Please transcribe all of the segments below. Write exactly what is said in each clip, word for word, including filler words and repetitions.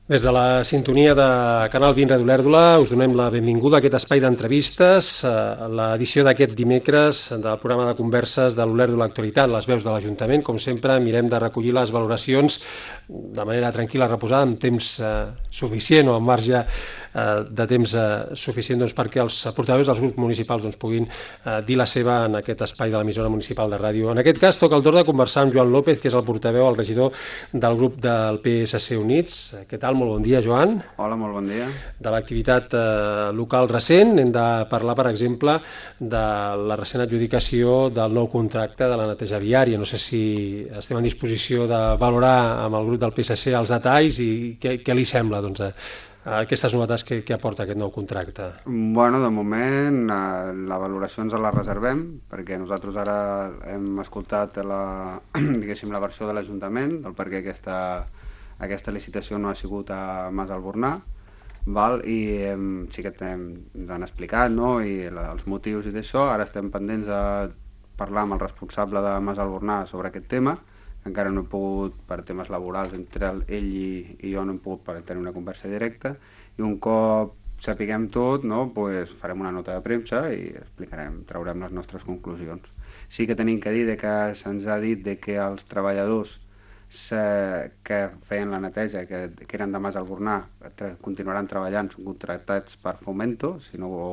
Des de la sintonia de Canal vint Ràdio Olèrdola us donem la benvinguda a aquest espai d'entrevistes, l'edició d'aquest dimecres del programa de converses de l'Olèrdola Actualitat, les veus de l'Ajuntament. Com sempre, mirem de recollir les valoracions de manera tranquil·la, reposada, amb temps suficient o amb marge de temps suficient perquè els portaveus dels grups municipals puguin dir la seva en aquest espai de l'emissora municipal de ràdio. En aquest cas, toca el torn de conversar amb Joan López, que és el portaveu, el regidor del grup del P S C Units. Què tal? Molt bon dia, Joan. Hola, molt bon dia. De l'activitat local recent hem de parlar, per exemple, de la recent adjudicació del nou contracte de la neteja viària. No sé si estem en disposició de valorar amb el grup del P S C els detalls i què, què li sembla, doncs, aquestes novetats que, que aporta aquest nou contracte. Bueno, de moment la valoració ens la reservem perquè nosaltres ara hem escoltat la, diguéssim, la versió de l'Ajuntament del per què aquesta, aquesta licitació no ha sigut a Mas Albornà, val? I hem, sí que han explicat, no? I la, els motius i d'això. Ara estem pendents de parlar amb el responsable de Mas Albornà sobre aquest tema. Encara no he pogut, per temes laborals, entre ell i, i jo no hem pogut tenir una conversa directa, i un cop sapiguem tot, no, pues farem una nota de premsa i explicarem, traurem les nostres conclusions. Sí que tenim que dir de que se'ns ha dit de que els treballadors que feien la neteja, que, que eren de Mas Albornà, continuaran treballant, són contractats per Fomento, si no, o,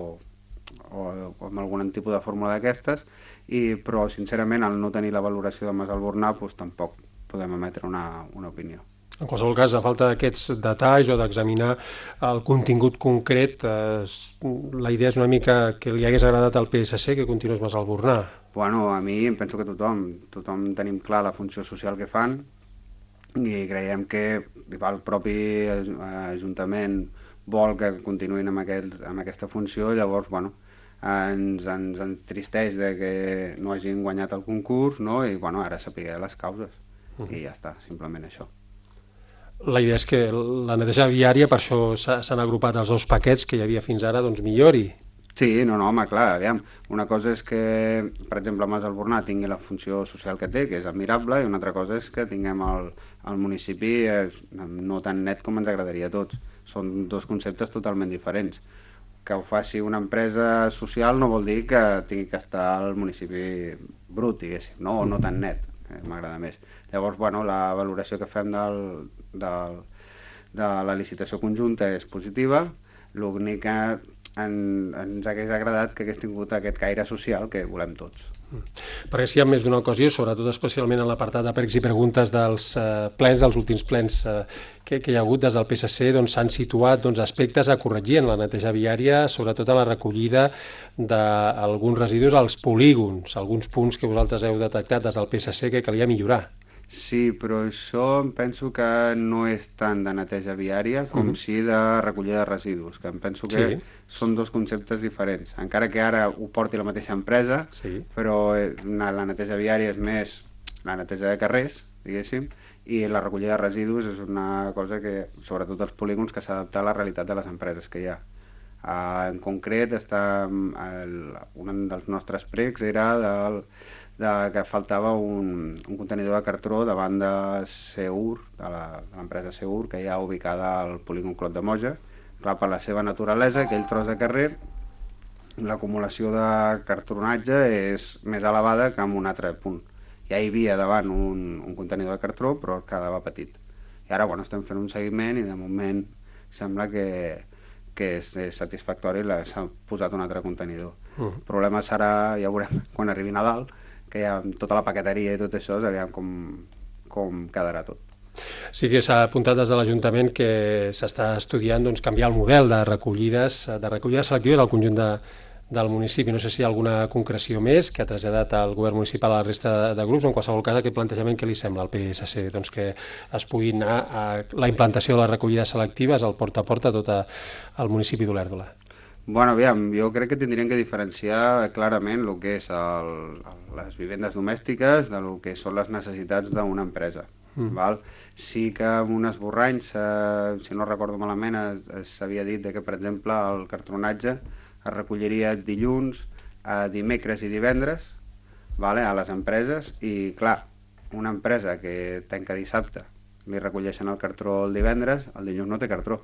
o, o amb algun tipus de fórmula d'aquestes, I, però sincerament al no tenir la valoració de Mas Albornà doncs, tampoc podem emetre una, una opinió. En qualsevol cas, a falta d'aquests detalls o d'examinar el contingut concret, eh, la idea és una mica que li hagués agradat al P S C que continués Mas Albornà. Bueno, a mi em penso que tothom, tothom tenim clar la funció social que fan i creiem que el propi Ajuntament vol que continuïn amb, aquest, amb aquesta funció, llavors, bueno, ens, ens entristeix de que no hagin guanyat el concurs, no? I bueno, ara sapiguer les causes uh -huh. i ja està, simplement això. La idea és que la neteja viària, per això s'han agrupat els dos paquets que hi havia fins ara, doncs millori. Sí, no, no, home, clar, aviam, una cosa és que, per exemple, Mas Albornà tingui la funció social que té, que és admirable, i una altra cosa és que tinguem el, el municipi no tan net com ens agradaria a tots. Són dos conceptes totalment diferents. Que ho faci una empresa social no vol dir que tingui que estar al municipi brut, diguéssim, no? O no tan net, que m'agrada més. Llavors, bueno, la valoració que fem del, del, de la licitació conjunta és positiva, l'únic que en, ens hagués agradat que hagués tingut aquest caire social que volem tots. Perquè si hi ha més d'una ocasió, sobretot especialment en l'apartat de pregs i preguntes dels eh, plens, dels últims plens eh, que, que hi ha hagut des del P S C, doncs s'han situat doncs, aspectes a corregir en la neteja viària, sobretot en la recollida d'alguns residus als polígons, alguns punts que vosaltres heu detectat des del P S C que calia millorar. Sí, però això em penso que no és tant de neteja viària com uh-huh. sí de recollida de residus, que em penso que sí. Són dos conceptes diferents. Encara que ara ho porti la mateixa empresa, sí. Però la neteja viària és més la neteja de carrers, diguéssim, i la recollida de residus és una cosa que, sobretot els polígons, que s'ha d'adaptar a la realitat de les empreses que hi ha. Uh, en concret, està, el, un dels nostres pregs era del de que faltava un, un contenidor de cartró davant de Seur, de l'empresa Seur, que hi ha ubicada al polígon Clot de Moja. Clar, per la seva naturalesa, aquell tros de carrer, l'acumulació de cartronatge és més elevada que en un altre punt. Ja hi havia davant un, un contenidor de cartró, però quedava petit. I ara, bueno, estem fent un seguiment i de moment sembla que, que és satisfactori, s'ha posat un altre contenidor. Uh-huh. El problema serà, ja veurem, quan arribi Nadal, que hi ha tota la paqueteria i tot això, aviam com, com quedarà tot. Sí que s'ha apuntat des de l'Ajuntament que s'està estudiant doncs, canviar el model de recollides, de recollides selectives al conjunt de, del municipi. No sé si hi ha alguna concreció més que ha traslladat al govern municipal a la resta de, de grups, o en qualsevol cas aquest plantejament que li sembla al P S C, doncs que es pugui anar a la implantació de les recollides selectives al porta a porta a tot el municipi d'Olèrdola. Bueno, aviam, jo crec que tindríem que diferenciar clarament el que és el, les vivendes domèstiques de lo que són les necessitats d'una empresa. Mm. Val? Sí que en un esborrany, si no recordo malament, s'havia dit que, per exemple, el cartronatge es recolliria dilluns, dimecres i divendres, vale, a les empreses, i clar, una empresa que tanca dissabte li recolleixen el cartró el divendres, el dilluns no té cartró.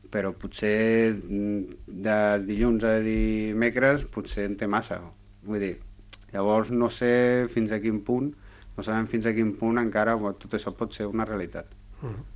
Però potser de dilluns a dimecres potser en té massa. Vull dir, llavors no sé fins a quin punt, no sabem fins a quin punt encara tot això pot ser una realitat. Mm.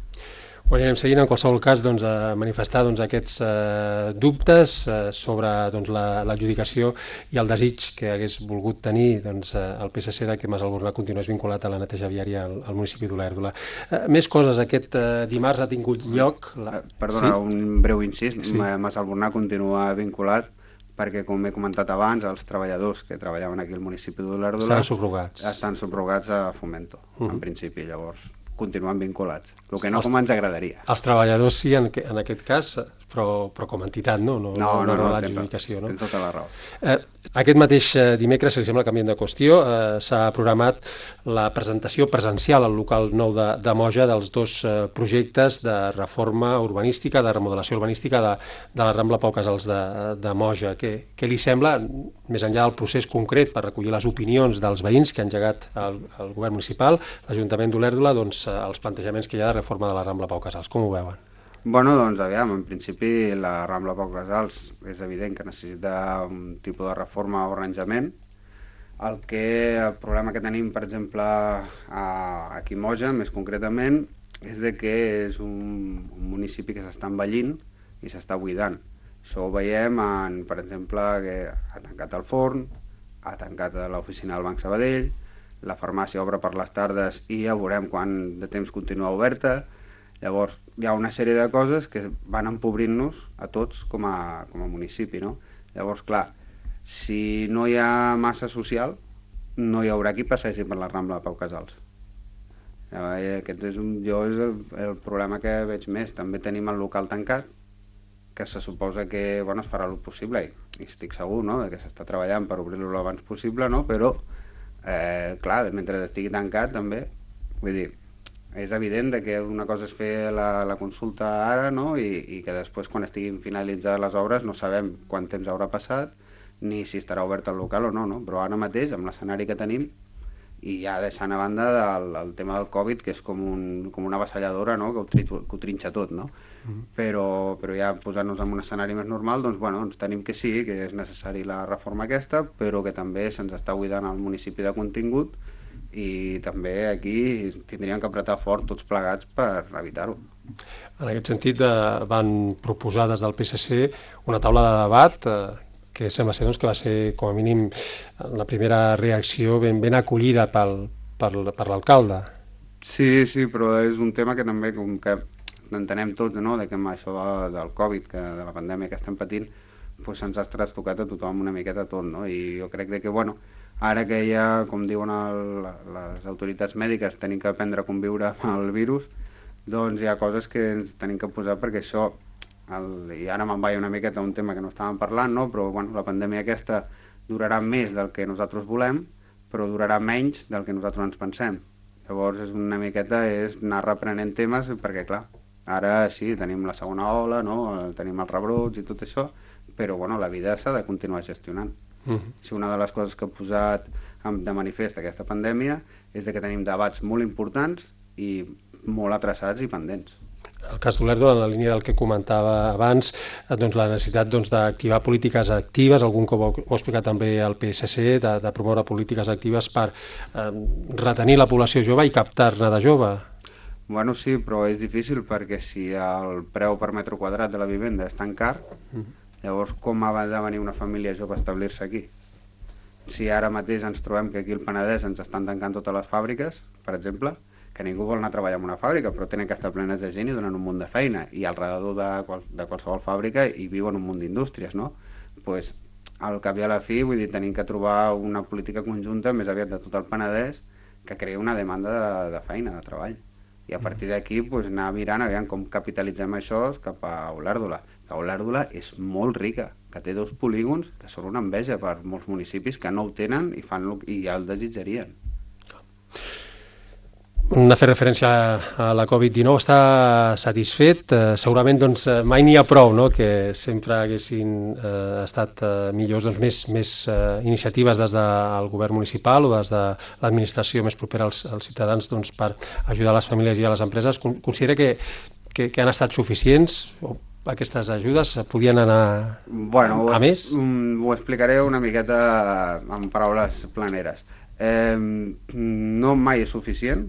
Ho anirem seguint, en qualsevol cas, doncs, a manifestar doncs, aquests eh, dubtes eh, sobre doncs, l'adjudicació i el desig que hagués volgut tenir doncs, eh, el P S C de que Mas Albornoz continués vinculat a la neteja viària al, al municipi d'Olèrdola. Eh, més coses, aquest eh, dimarts ha tingut lloc... La... Perdona, sí? Un breu incís, sí. Mas Albornoz continua vinculat perquè, com he comentat abans, els treballadors que treballaven aquí al municipi d'Olèrdola estan subrogats. Estan subrogats a Fomento, uh -huh. en principi, llavors continuen vinculats, el que no els, com ens agradaria. Els treballadors sí, en, en aquest cas, però, però com a entitat, no? No, no, no, no, no l'adjudicació, no? Tens tota la raó. Eh, aquest mateix dimecres, si li sembla, canviant de qüestió, eh, s'ha programat la presentació presencial al local nou de, de Moja dels dos eh, projectes de reforma urbanística, de remodelació urbanística de, de la Rambla Pau Casals de, de Moja. Què, què li sembla, més enllà del procés concret per recollir les opinions dels veïns que han engegat el, el govern municipal, l'Ajuntament d'Olèrdola, doncs, els plantejaments que hi ha de reforma de la Rambla Pau Casals? Com ho veuen? Bueno, doncs aviam, en principi la Rambla Pau Casals és evident que necessita un tipus de reforma o arranjament. El, que, el problema que tenim, per exemple, a, aquí a Moja, més concretament, és de que és un, un municipi que s'està envellint i s'està buidant. Això ho veiem, en, per exemple, que ha tancat el forn, ha tancat l'oficina del Banc Sabadell, la farmàcia obre per les tardes i ja veurem quan de temps continua oberta. Llavors, hi ha una sèrie de coses que van empobrint-nos a tots com a, com a municipi, no? Llavors, clar, si no hi ha massa social, no hi haurà qui passegi per la Rambla de Pau Casals. Aquest és, un, jo és el, el problema que veig més. També tenim el local tancat, que se suposa que bueno, es farà el possible, i estic segur, no?, que s'està treballant per obrir-lo l'abans possible, no?, però, eh, clar, mentre estigui tancat també, vull dir, és evident que una cosa és fer la, la consulta ara, no?, i, i que després, quan estiguin finalitzades les obres, no sabem quant temps haurà passat, ni si estarà obert el local o no, no? Però ara mateix, amb l'escenari que tenim, i ja deixant a banda del, el tema del Covid, que és com, un, com una avassalladora, no?, que ho, tri, que ho trinxa tot, no? Mm. Però, però ja posant-nos en un escenari més normal, doncs, bueno, doncs tenim que sí, que és necessari la reforma aquesta, però que també se'ns està buidant el municipi de contingut, i també aquí tindríem que apretar fort tots plegats per evitar-ho. En aquest sentit, eh, van proposar des del P S C una taula de debat eh, que sembla ser doncs, que va ser, com a mínim, la primera reacció ben, ben acollida pel, per, per l'alcalde. Sí, sí, però és un tema que també, com que entenem tots, no?, de que amb això de, del Covid, que, de la pandèmia que estem patint, doncs se'ns ha trastocat a tothom una miqueta tot, no? I jo crec que, bueno, ara que ja, com diuen el, les autoritats mèdiques, tenim que aprendre a conviure amb el virus, doncs hi ha coses que ens tenim que posar perquè això, el, i ara me'n vaig una miqueta a un tema que no estàvem parlant, no? Però bueno, la pandèmia aquesta durarà més del que nosaltres volem, però durarà menys del que nosaltres ens pensem. Llavors és una miqueta és anar reprenent temes perquè, clar, ara sí, tenim la segona ola, no? Tenim els rebrots i tot això, però bueno, la vida s'ha de continuar gestionant. Uh-huh. Si una de les coses que ha posat de manifest aquesta pandèmia és que tenim debats molt importants i molt atrasats i pendents. El cas d'Olèrdola, en la línia del que comentava abans, doncs la necessitat doncs, d'activar polítiques actives, algun cop ho ha explicat també el P S C, de, de promoure polítiques actives per eh, retenir la població jove i captar-ne de jove. Bueno, sí, però és difícil perquè si el preu per metre quadrat de la vivenda és tan car, uh-huh. llavors com ha de venir una família jove a establir-se aquí? Si ara mateix ens trobem que aquí al Penedès ens estan tancant totes les fàbriques, per exemple, que ningú vol anar a treballar en una fàbrica, però tenen que estar plenes de gent i donen un munt de feina, i al redador de, qual, de qualsevol fàbrica hi viuen un munt d'indústries, no? Pues, al cap i a la fi, vull dir, tenim que trobar una política conjunta més aviat de tot el Penedès que creï una demanda de, de feina, de treball. I a partir d'aquí pues, anar mirant aviam com capitalitzem això cap a Olèrdola. Que Olèrdola és molt rica, que té dos polígons que són una enveja per molts municipis que no ho tenen i, fan lo, i ja el desitjarien. ha fet referència a la covid dinou, està satisfet? Eh, segurament doncs, mai n'hi ha prou, no? Que sempre haguessin eh, estat eh, millors doncs, més, més eh, iniciatives des del govern municipal o des de l'administració més propera als, als ciutadans doncs, per ajudar les famílies i a les empreses. Considera que, que, que han estat suficients o aquestes ajudes podien anar bueno, a, a més? Ho, ho explicaré una miqueta en paraules planeres. Eh, no mai és suficient,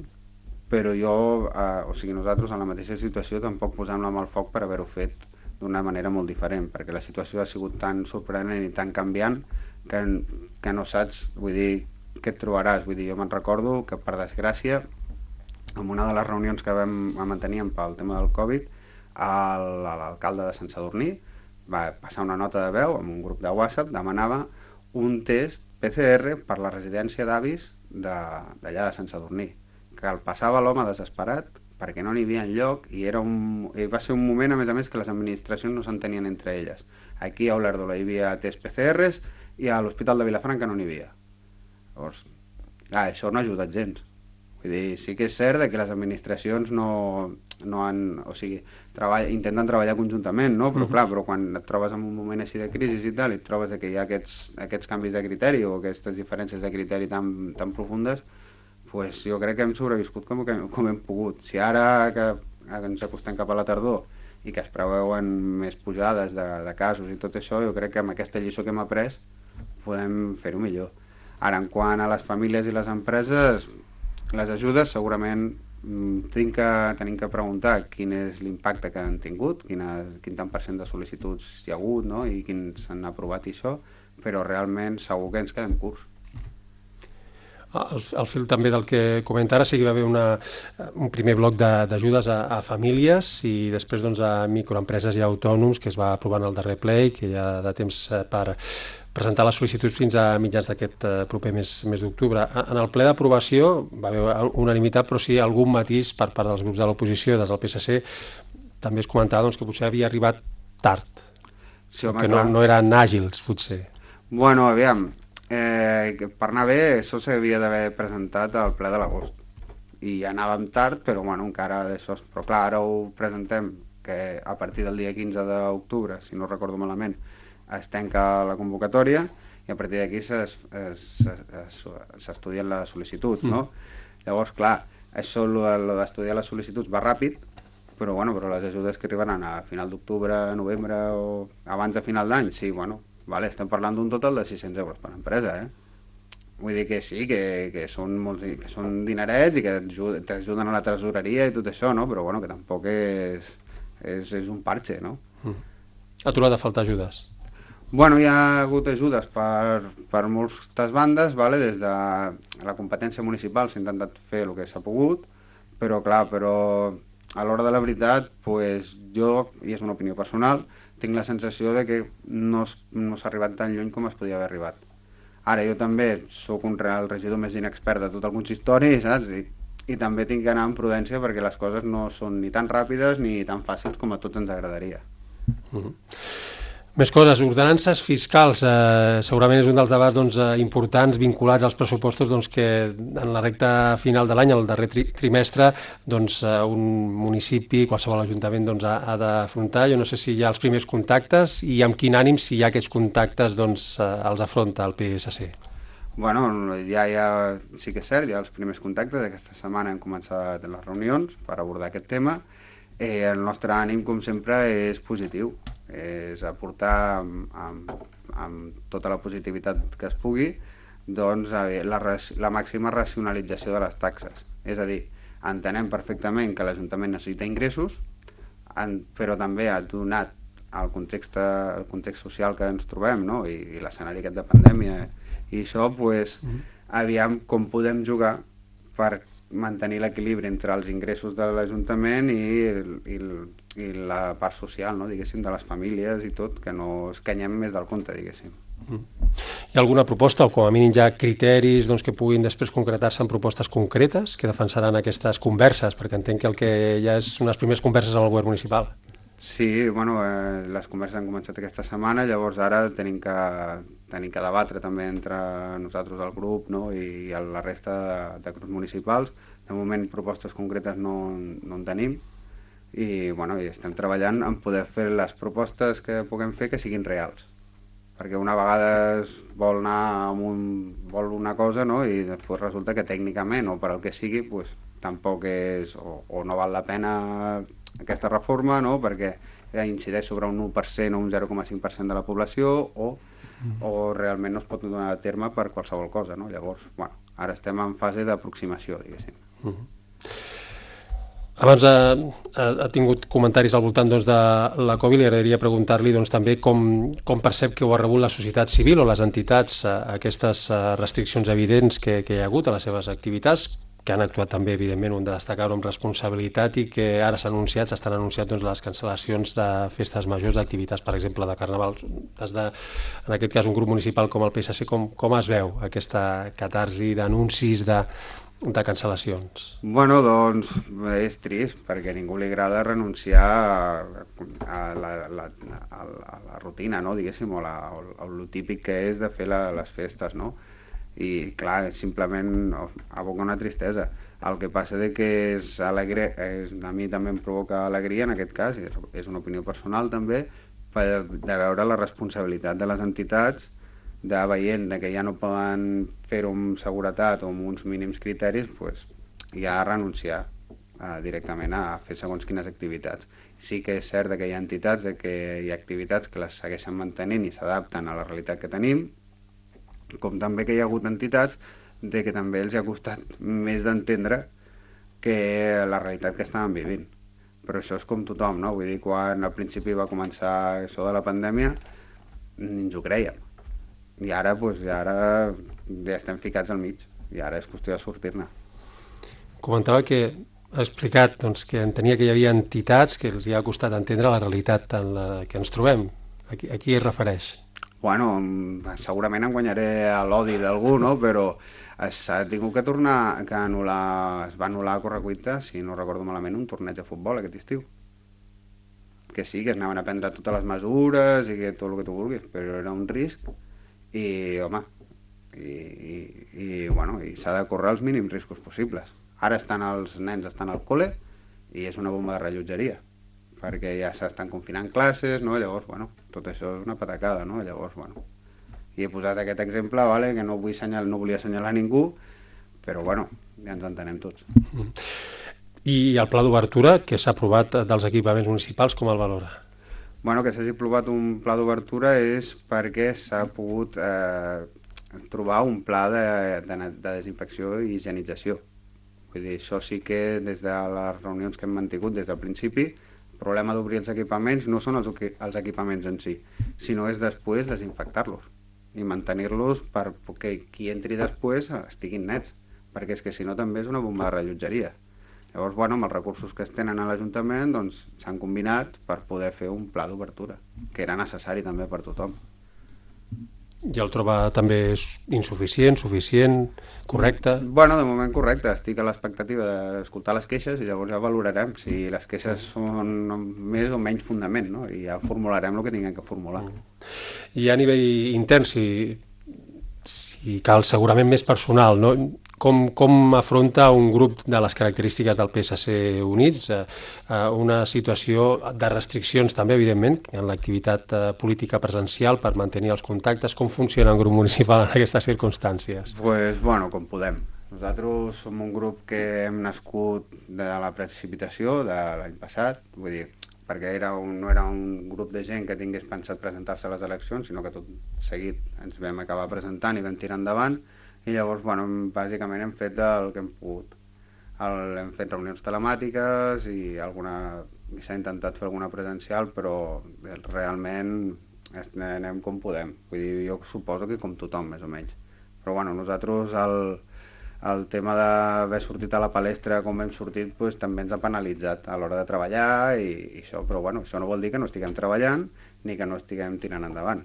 però jo, eh, o sigui, nosaltres en la mateixa situació tampoc posem la mà al foc per haver-ho fet d'una manera molt diferent, perquè la situació ha sigut tan sorprenent i tan canviant que, que no saps, vull dir, què et trobaràs. Vull dir, jo me'n recordo que, per desgràcia, en una de les reunions que vam manteníem pel tema del Covid, l'alcalde de Sant Sadurní va passar una nota de veu amb un grup de WhatsApp, demanava un test P C R per la residència d'avis d'allà de Sant Sadurní, que el passava l'home desesperat perquè no n'hi havia enlloc i, era un, i va ser un moment, a més a més, que les administracions no s'entenien entre elles. Aquí a Olèrdola hi havia test P C Rs i a l'Hospital de Vilafranca no n'hi havia. Llavors, clar, això no ha ajudat gens. Vull dir, sí que és cert que les administracions no, no han... O sigui, treball, intenten treballar conjuntament, no? Però clar, però quan et trobes en un moment així de crisi i tal, i et trobes que hi ha aquests, aquests canvis de criteri o aquestes diferències de criteri tan, tan profundes, pues jo crec que hem sobreviscut com, com hem pogut. Si ara que ens acostem cap a la tardor i que es preveuen més pujades de, de casos i tot això, jo crec que amb aquesta lliçó que hem après podem fer-ho millor. Ara, en quant a les famílies i les empreses, les ajudes segurament tenim que, tenim que preguntar quin és l'impacte que han tingut, quina, quin tant per cent de sol·licituds hi ha hagut, no? I quins s'han aprovat i això, però realment segur que ens quedem curts. Al, al fil també del que comenta ara, sí que hi va haver una, un primer bloc d'ajudes a, a famílies i després doncs, a microempreses i autònoms que es va aprovar en el darrer ple i que hi ha de temps per presentar les sol·licituds fins a mitjans d'aquest proper mes, mes d'octubre. En el ple d'aprovació va haver unanimitat, però sí algun matís per part dels grups de l'oposició, des del P S C, també es comentava doncs, que potser havia arribat tard, sí, home, que no, no eren àgils, potser. Bueno, aviam, eh, per anar bé, això s'havia d'haver presentat al ple de l'agost. I ja anàvem tard, però bueno, encara d'això... Però clar, ara ho presentem, que a partir del dia quinze d'octubre, si no recordo malament, es tanca la convocatòria i a partir d'aquí s'estudien les sol·licituds, no? Mm. Llavors, clar, això, el d'estudiar les sol·licituds va ràpid, però, bueno, però les ajudes que arribaran a final d'octubre, novembre o abans de final d'any, sí, bueno, vale, estem parlant d'un total de sis-cents euros per empresa, eh? Vull dir que sí, que, que, són, molts, que són dinerets i que t'ajuden a la tresoreria i tot això, no? Però, bueno, que tampoc és, és, és un parche, no? Mm. Ha trobat a faltar ajudes? Bueno, hi ha hagut ajudes per, per moltes bandes, vale? Des de la competència municipal s'ha intentat fer el que s'ha pogut, però clar, però a l'hora de la veritat, pues, jo, i és una opinió personal, tinc la sensació de que no, no s'ha arribat tan lluny com es podia haver arribat. Ara, jo també sóc un real regidor més inexpert de tot el consistori, saps? I, i també tinc que anar amb prudència perquè les coses no són ni tan ràpides ni tan fàcils com a tots ens agradaria. Mm-hmm. Més coses, ordenances fiscals, eh, segurament és un dels debats doncs, importants vinculats als pressupostos doncs, que en la recta final de l'any, el darrer tri trimestre, doncs, un municipi, qualsevol ajuntament doncs, ha, ha d'afrontar. Jo no sé si hi ha els primers contactes i amb quin ànim, si hi ha aquests contactes, doncs, els afronta el P S C. Bueno, ja, ja sí que és cert, hi ha els primers contactes. Aquesta setmana hem començat les reunions per abordar aquest tema. Eh, el nostre ànim, com sempre, és positiu. És aportar amb, amb, amb tota la positivitat que es pugui doncs, la, la màxima racionalització de les taxes. És a dir, entenem perfectament que l'Ajuntament necessita ingressos, en, però també ha donat el context, el context social que ens trobem, no? I, i l'escenari aquest de pandèmia. I això, pues, mm-hmm. aviam com podem jugar per mantenir l'equilibri entre els ingressos de l'Ajuntament i, i, i la part social, no? Diguéssim, de les famílies i tot, que no es canyem més del compte, diguéssim. Hi ha alguna proposta, o com a mínim hi ha criteris doncs, que puguin després concretar-se en propostes concretes que defensaran aquestes converses? Perquè entenc que el que hi ha és unes primeres converses amb el govern municipal. Sí, bueno, eh, les converses han començat aquesta setmana, llavors ara tenim que, tenim que debatre també entre nosaltres el grup, no? I la resta de, de grups municipals De moment propostes concretes no, no en tenim i, bueno, i estem treballant en poder fer les propostes que puguem fer que siguin reals. Perquè una vegada es vol anar amb un, vol una cosa, no? I després resulta que tècnicament o per al que sigui pues, tampoc és o, o no val la pena aquesta reforma, no? Perquè incideix sobre un u per cent o un zero coma cinc per cent de la població o, o realment no es pot donar a terme per qualsevol cosa, no? Llavors, bueno, ara estem en fase d'aproximació, diguéssim. Uh -huh. Abans ha, ha, ha tingut comentaris al voltant doncs, de la Covid, li agradaria preguntar-li doncs, també com, com percep que ho ha rebut la societat civil o les entitats a aquestes restriccions evidents que, que hi ha hagut a les seves activitats, que han actuat també, evidentment, un de destacar-ho amb responsabilitat i que ara s'han anunciat, s'estan anunciat doncs, les cancel·lacions de festes majors, d'activitats, per exemple, de carnaval. Des de, en aquest cas, un grup municipal com el P S C, com, com es veu aquesta catarsi d'anuncis de, de cancel·lacions? Bueno, doncs és trist, perquè a ningú li agrada renunciar a, a, la, la, a, la, a la rutina, no? Diguéssim, o, la, o, o el típic que és de fer la, les festes, no? I clar, simplement aboca una tristesa. El que passa de que és alegre, és, a mi també em provoca alegria en aquest cas, és, és una opinió personal també, per, de veure la responsabilitat de les entitats, de veient que ja no poden fer-ho amb seguretat o amb uns mínims criteris, pues, ja renunciar eh, directament a fer segons quines activitats. Sí que és cert que hi ha entitats, que hi ha activitats que les segueixen mantenint i s'adapten a la realitat que tenim, com també que hi ha hagut entitats de que també els ha costat més d'entendre que la realitat que estaven vivint. Però això és com tothom, no? Vull dir, quan al principi va començar això de la pandèmia, ni ens ho creiem. I ara, doncs, ja, ara ja estem ficats al mig, i ara és qüestió de sortir-ne. Comentava que ha explicat doncs, que entenia que hi havia entitats que els hi ha costat entendre la realitat en la que ens trobem. A qui, a qui es refereix? Bueno, segurament em guanyaré l'odi d'algú, no? Però s'ha tingut que tornar, que anul·lar, es va anul·lar a correcuita, si no recordo malament, un torneig de futbol aquest estiu. Que sí, que es anaven a prendre totes les mesures i que tot el que tu vulguis, però era un risc i, home, i, i, i, bueno, i s'ha de córrer els mínims riscos possibles. Ara estan els nens estan al col·le i és una bomba de rellotgeria, perquè ja s'estan confinant classes, no? Llavors, bueno, tot això és una patacada, no? Llavors, bueno, i he posat aquest exemple, vale, que no vull assenyalar, no volia assenyalar ningú, però, bueno, ja ens entenem tots. I el pla d'obertura que s'ha aprovat dels equipaments municipals, com el valora? Bueno, que s'hagi aprovat un pla d'obertura és perquè s'ha pogut eh, trobar un pla de, de, de desinfecció i higienització. Vull dir, això sí que des de les reunions que hem mantingut des del principi, el problema d'obrir els equipaments no són els, els equipaments en si, sinó és després desinfectar-los i mantenir-los perquè qui entri després estiguin nets, perquè és que si no també és una bomba de rellotgeria. Llavors, bueno, amb els recursos que es tenen a l'Ajuntament doncs, s'han combinat per poder fer un pla d'obertura, que era necessari també per tothom. I el troba també insuficient, suficient, correcte? Bueno, de moment correcte. Estic a l'expectativa d'escoltar les queixes i llavors ja valorarem si les queixes són més o menys fundament, no? I ja formularem el que tinguem que formular. I a nivell intern, si, si cal segurament més personal, no? Com, com afronta un grup de les característiques del P S C Units eh, una situació de restriccions també, evidentment, en l'activitat eh, política presencial per mantenir els contactes? Com funciona un grup municipal en aquestes circumstàncies? Pues, bueno, com podem. Nosaltres som un grup que hem nascut de la precipitació de l'any passat, vull dir, perquè era un, no era un grup de gent que tingués pensat presentar-se a les eleccions, sinó que tot seguit ens vam acabar presentant i vam tirar endavant. I llavors, bueno, bàsicament hem fet el que hem pogut. El, hem fet reunions telemàtiques i alguna s'ha intentat fer alguna presencial, però realment anem com podem. Vull dir, jo suposo que com tothom, més o menys. Però bueno, nosaltres el, el tema d'haver sortit a la palestra com hem sortit pues, també ens ha penalitzat a l'hora de treballar i, i això, però bueno, això no vol dir que no estiguem treballant ni que no estiguem tirant endavant.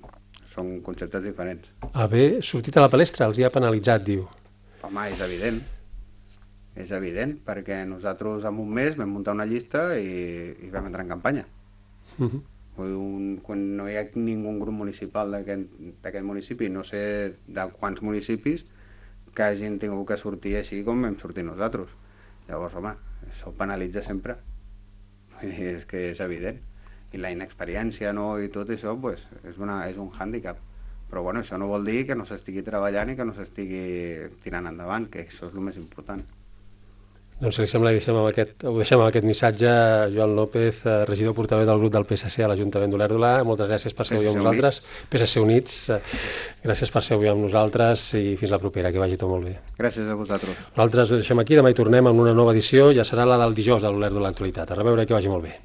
Són conceptes diferents. Haver sortit a la palestra els hi ha penalitzat, diu. Home, és evident. És evident, perquè nosaltres en un mes vam muntar una llista i, i vam entrar en campanya. Uh-huh. un, quan no hi ha ningú grup municipal d'aquest municipi, no sé de quants municipis, que hagin tingut que sortir així com vam sortir nosaltres. Llavors, home, això penalitza sempre. I és que és evident. I la inexperiència, no?, i tot això, pues, és, una, és un hàndicap. Però bueno, això no vol dir que no s'estigui treballant i que no s'estigui tirant endavant, que això és el més important. Doncs si li sembla, deixem amb aquest, ho deixem amb aquest missatge. Joan López, regidor portaveu del grup del P S C a l'Ajuntament d'Olèrdola, moltes gràcies per ser avui amb nosaltres. P S C Units, gràcies per ser avui amb nosaltres i fins la propera, que vagi tot molt bé. Gràcies a vosaltres. Nosaltres ho deixem aquí, demà hi tornem amb una nova edició, ja serà la del dijous de l'Olèrdola Actualitat. A reveure, que vagi molt bé.